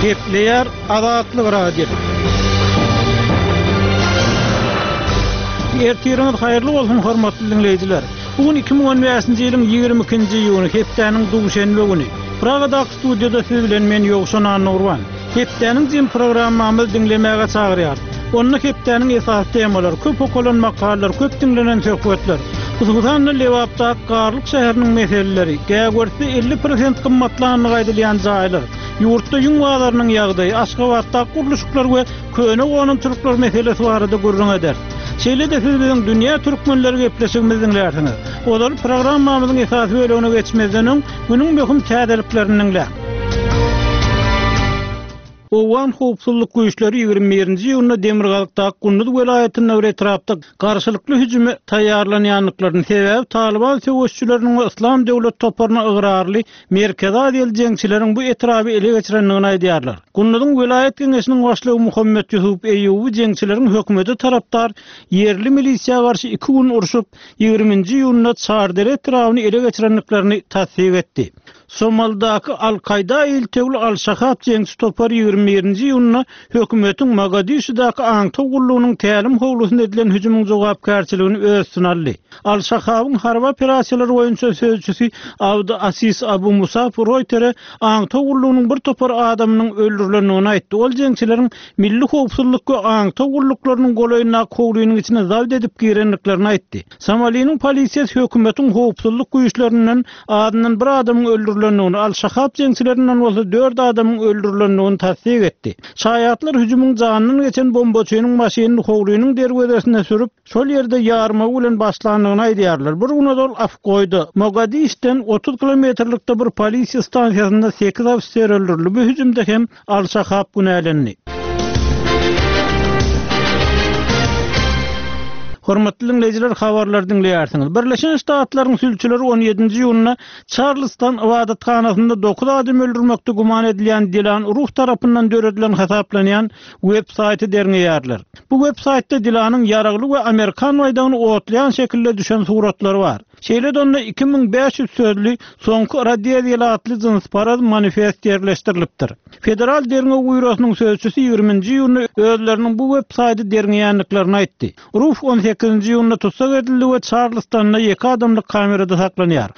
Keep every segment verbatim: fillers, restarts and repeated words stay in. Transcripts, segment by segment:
Gepleýär Azatlyk Radiosy. Ertiriňiz haýyrly bolsun, hormatly diňleýjiler. Bu gün iki müň on bäşinji ýylyň ýigrimi ikinji iýuny, hepdäniň duşenbe güni. Pragadaky studiýada siz bilen men Ýowşan Annagurban. Hepdäniň jemi programmamyzy diňlemäge çagyrýarys. Onda hepdäniň esasy temalary, köp okalan makalalar, köp diňlenen söhbetler, hususan-da Lebapdaky Garlyk şäheriniň meseleleri, Gägörsde elli prosent gymmatlandygy aýdylýan jaýlar, ýurtda ýüň bazarynyň ýagdaýy, Aşgabatdaky gurluşyklar we köne gonamçylyklar meselesi barada gürrüň ederis. Şeýle-de siz biziň Dünýä Türkmenleri gepleşigimizi diňlärsiňiz. Ozal programmamyzyň esasy bölegine geçmezden öň, günüň möhüm täzeliklerini diňläň. Owgan howpsuzlyk güýçleri ýigrimi birinji iýunda Demirgazykdaky Gunduz welaýatynda bir etrapda garşylykly hüjüme taýýarlanýandyklaryny, sebäbi Talyban söweşçileriniň we Yslam döwlet toparyna ygrarly Merkezi Aziýaly jeňçileriň bu etraby ele geçirendigini aýdýarlar. Gunduzyň welaýat geňeşiniň başlygy Muhammet Ýusup Eýýuby jeňçileriň hökümete tarapdar ýerli milisiýa garşy iki gün urşup, ýigriminji iýunda Çardere etrabyny ele geçirendiklerini tassyk etdi. Somaldaky Al-Kaýda iltegli Al-Şahab jeňçi topary ýigrimi birinji iýunda hökümetiň Mogadişudaky aňtaw gullugynyň tälim howlusyna edilen hüjümiň jogapkärçiligini öz üstüne aldy. Al-Şahabyň harby operasiýalar boýunça sözçüsi Abdy Asis Abu Musab Roýtere aňtaw gullugynyň bir topar adamynyň öldürilendigini aýtdy. Ol jeňçileriň milli howpsuzlyk we aňtaw gulluklarynyň golaýyndaky howlynyň içine zabt edip girendiklerini aýtdy. Somaliniň polisiýasy hökümetiň howpsuzlyk güýçlerinden azyndan bir adamyň öldürilendigini, Al-Şahab jeňçilerinden bolsa dört adamyň öldürilendigini tassyk etdi. Şaýatlar hüjümiň janyndan geçen bombaçynyň maşynyny howlynyň derwezesine sürüp, şol ýerde ýarmagy bilen başlandygyny aýdýarlar. Bir gün ozal Afgoýda, Mogadişden otuz kilometrlikde bir polisiýa stansiýasynda sekiz ofiser öldürildi. Bu hüjümde hem Al-Şahab günälendi. Hormatly diňleýjiler, habarlary diňleýärsiňiz. Birleşen Ştatlaryň sülçüleri on ýedinji iýunda Çarlston ybadathanasynda dokuz adam öldürmekde güman edilýän Dilan Ruf tarapyndan döredilen hasaplanýan web-saýty derňeýärler. Bu web-saýtda Dilanyň ýaragly we amerikan baýdagyny otlaýan şekilde düşen suratlary bar. Şeýle-de onda iki müň bäş ýüz sözli Soňky Rodeziýaly atly jynsparaz manifest ýerleşdirilipdir. Federal derňew býurosynyň sözçüsi ýigriminji iýunda özleriniň bu web-saýty derňeýändiklerini aýtdy. Ruf on sekizinji iýunda tussag edildi we Çarlstonda ýeke adamlyk kamerada saklanýar.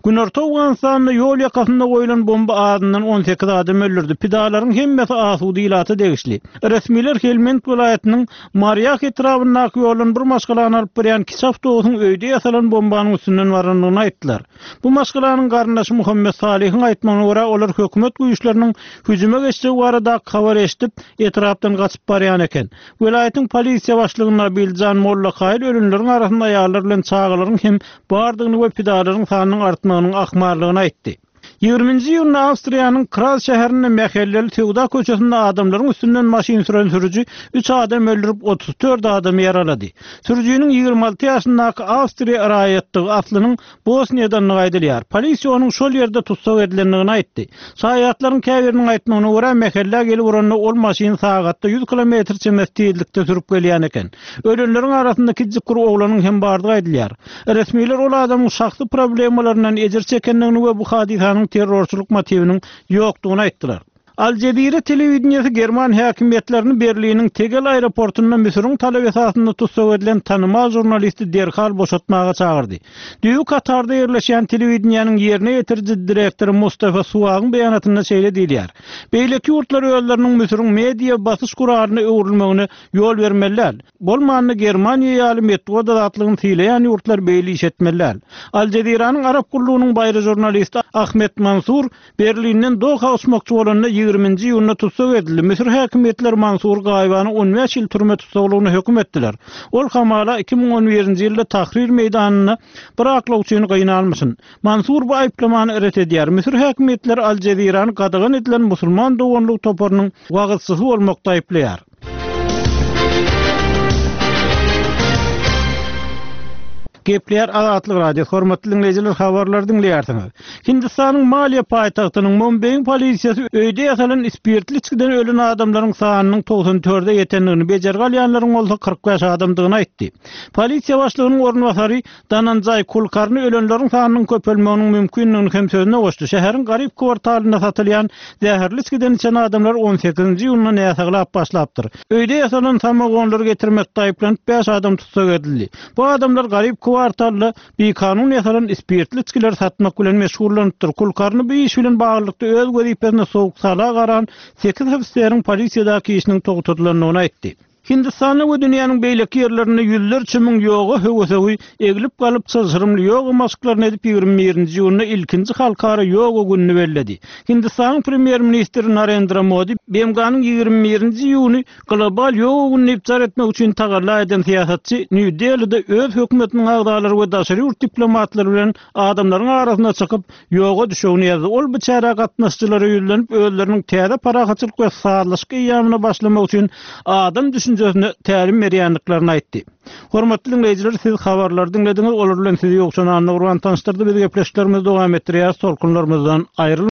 Günorta Owganystanda ýol ýakasynda goýlan bomba azyndan on sekiz adam öldürdi. Pidalaryň hemmesi asuda ilata degişli. Resmiler Helmend welaýatynyň Marýah etrabyndaky ýoldan bir maşgalany alyp barýan kiçi awtobusyň öýde ýasalan bombanyň üstünden barandygyny aýtdylar. Bu maşgalanyň garyndaşy Muhammet Salyhyň aýtmagyna görä, olar hökümet güýçleriniň hüjüme geçjegi baradaky habary eşidip, etrapdan gaçyp barýan eken. Welaýatyň polisiýa başlygy Nabiljan Mollakaýyl ölenleriň arasynda aýallar bilen çagalaryň hem bardygyny we pidalaryň sanynyň artmagynyň ahmallygyny aýtdy. Ýigriminji iýunda Awstriýanyň Kraz şäherinde mähelleli söwda köçesinde adamlaryň üstünden maşyn süren sürüji üç adam öldürip, otuz dört adamy ýaralady. Sürüjiniň ýigrimi alty ýaşyndaky awstriýa raýatdygy, aslynyň Bosniýadandygy aýdylýar. Polisiýa onuň şol ýerde tussag edilendigini aýtdy. Şaýatlaryň käbiriniň aýtmagyna görä, mähellä gelip uranda ol maşyny sagatda ýüz kilometr çemesi tizlikde sürüp gelýän eken. Ölenleriň arasynda kiçijik bir oglanyň hem bardygy aýdylýar. Resmiler ol adamyň şahsy problemalaryndan ejir çekendigini we bu hadysanyň terrorçylyk motiwiniň ýokdugyny aýtdylar. Al Jazeera telewideniýesi german häkimiýetlerini Berliniň Tegel aeroportunda Müsüriň talaby esasynda tussag edilen tanymal žurnalisti derhal boşatmaga çagyrdy. Düýbi Katarda ýerleşýän telewideniýäniň ýerine ýetiriji direktory Mustafa Suagyň beýanatynda şeýle diýilýär, Beýleki ýurtlar özleriniň Müsüriň media basyş guralyna öwrülmegine ýol bermeli däl. Bolmanda Germaniýa ýaly metbugat azatlygyny sylaýan ýurtlar beýle iş etmeli däl. Al Jeziranyň arap gullugynyň baýry žurnalisti Ahmet Mansur Berlinden Doha uçmakçy bolanda ýigriminji iýunda tussag edildi. Müsür häkimiýetleri Mansury gaýybana on bäş ýyl türme tussaglygyna höküm etdiler. Ol hamala iki müň on birinji ýylda Tahrir meýdanynda bir aklawçyny gynalmyşyn. Mansur bu aýyplamany ret edýär. Müsür häkimiýetleri Al Jezirany gadagan edilen Musulman doganlygy toparynyň wagyzçysy bolmakda aýyplaýar. Gepleýär Azatlyk Radiosy, hormatly diňleýjiler, habarlary diňleýärsiňiz. Hindistanyň maliýe paýtagtynyň Mumbeýiň polisiýasy öýde ýasalan spirtli içgiden ölen adamlaryň sanynyň togsan dörde ýetendigini, bejergi alýanlaryň bolsa kyrk bäş adamdygyny aýtdy. Polisiýa başlygynyň orunbasary Dananjaý Kulkarni ölenleriň sanynyň köpelmeginiň mümkindigini hem sözüne goşdy. Şäheriň garyp kwartalynda satylýan zäherli içgiden içen adamlar on sekizinji iýunda näsaglap başlapdyr. Öýde ýasalan samogonlary getirmekde aýyplanyp bäş adam tussag edildi. Bu adamlar garyp kwartalda bikanun ýasalan spirtli içgileri satmak bilen meşgullanypdyr. Kulkarni bu iş bilen baglylykda öz wezipesine sowuk-sala garan sekiz ofiseriň polisiýadaky işiniň togtadylandygyny aýtdy. Hindistanda we dünýäniň beýleki ýerlerinde ýüzlerçe müň ýoga höwesegi eglip galyp çylşyrymly ýoga maşklaryny edip ýigrimi birinji iýunda ilkinji halkara ýoga gününi belledi. Hindistanyň premýer-ministri Narendra Modi B M G-nyň ýigrimi birinji iýuny global ýoga güni diýip jar etmek üçin tagalla eden syýasatçy Nýu-Delide öz hökümetiniň agzalary we daşary ýurt diplomatlary bilen adamlaryň arasyna çykyp ýoga düşegini ýazdy. Ol bu çärä gatnaşyjylara ýüzlenip özleriniň täze parahatçylyk we sazlaşyk eýýamyna başlamak üçin adam düşünjesine tälim berýändiklerini aýtdy. Hormatly diňleýjiler, siz habarlary diňlediňiz, olar bilen sizi Ýowşan Annagurban tanyşdyrdy. Biz gepleşiklerimizi dowam etdirýäris, tolkunlarymyzdan aýrylmaň.